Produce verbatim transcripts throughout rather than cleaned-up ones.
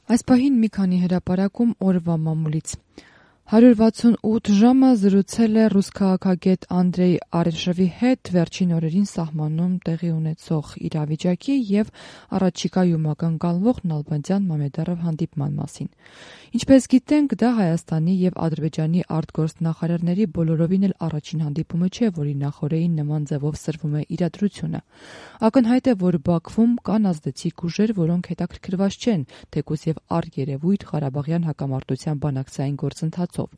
Այս պահին մի քանի հրապարակում օրվա մամուլից։ հարյուր վաթսունութ ժամը զրուցել է ռուս քաղաքագետ Անդրեյ Արեշևի հետ վերջին օրերին սահմանում տեղի ունեցող իրավիճակի և առաջիկայում ակնկալվող Նալբանդյան Մամեդարով հանդիպման մասին։ Ինչպես գիտենք, դա Հայաստանի և Ադրբեջանի արտգործնախարարների բոլորովին էլ առաջին հանդիպումը չէ, որի նախօրեին նման ձևով սրվում է իրադրությունը։ Ակնհայտ է, որ Բաքվում կան ազդեցիկ ուժեր, որոնք հետաքրքրված չեն, թեկուզ և առերևույթ Ղարաբաղյան հակամարտության բանակցային գործընթացով,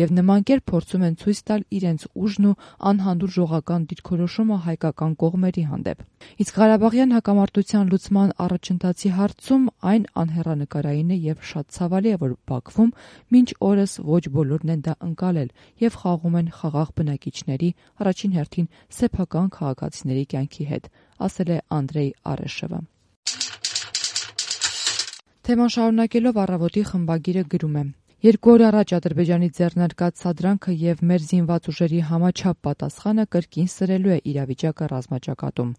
և նման կերպ փորձում են ցույց տալ իրենց ուժն ու անհանդուրժողական դիրքորոշումը հայկական կողմերի հանդեպ։ Իսկ Ղարաբաղյան հակամարտության լուծման առաջընթացի հարցում այն անհեռանկարային է և շատ ցավալի է, որ Բաքվում մինչ օրս ոչ բոլորն են դա ընկալել և խաղում են խաղաղ բնակիչների, առաջին հերթին սեփական քաղաքացիների կյանքի հետ, ասել է Անդրեյ Արեշևը։ Թեման շարունակելով Առավոտի խմբագիրը գրում է. Երկու օր առաջ Ադրբեջանի ձեռնարկած սադրանքը և մեր զինված ուժերի համաչափ պատասխանը կրկին սրելու է իրավիճակը ռազմաճակատում։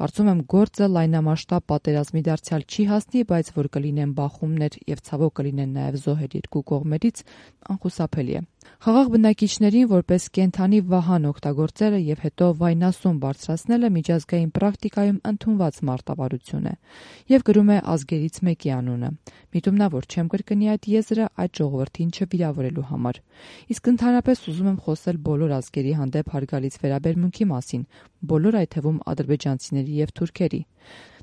Կարծում եմ գործը լայնամասշտաբ պատերազմի դարձյալ չի հասնի, բայց որ կլինեն բախումներ և ցավոք կլինեն նաև զոհեր երկու կողմերից, անխուսափելի է։ Խաղաղ բնակիչներին որպես կենդանի վահան օգտագործելը և հետո վայնասուն բարձրացնելը միջազգային պրակտիկայում ընդունված մարտավարություն է։ Եվ գրում է ազգերից մեկի անունը։ Միտումնա, որ չեմ կրկնի այդ եզրը այդ ժողովրդին չվիրավորելու համար։ Իսկ ընդհանրապես ուզում եմ խոսել բոլոր ազգերի հանդեպ հարգալից վերաբերմունքի մասին, բոլոր այդ թվում ադրբեջանցիների և թուրքերի։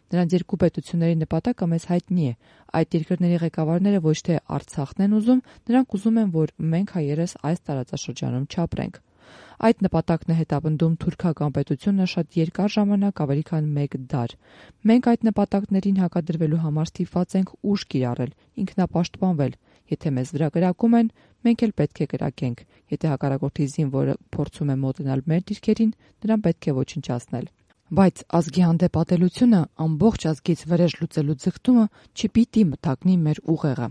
Նրանց երկու պետությունների նպատակը մեզ հայտնի է։ Այդ երկրների ղեկավարները ոչ թե Արցախն են ուզում, նրանք ուզում են, որ մենք հայերս այս տարածաշրջանում չապրենք։ Այդ նպատակն է հետապնդում թուրքական պետությունը շատ երկար ժամանակ, ավելի քան մեկ դար։ Մենք այդ նպատակներին հակադրվելու համար ստիպված ենք ուժ կիրառել, ինքնապաշտպանվել։ Եթե մեզ վրա կրակում են, մենք էլ պետք է կրակենք։ Եթե հակառակորդի զինվորը փորձում է մոտենալ մեր դիրքերին, նրան պետք է ոչնչացնել։ Բայց ազգի հանդեպ ատելությունը, ամբողջ ազգից վրեժ լուծելու ձգտումը չպիտի մթագնի մեր ուղեղը։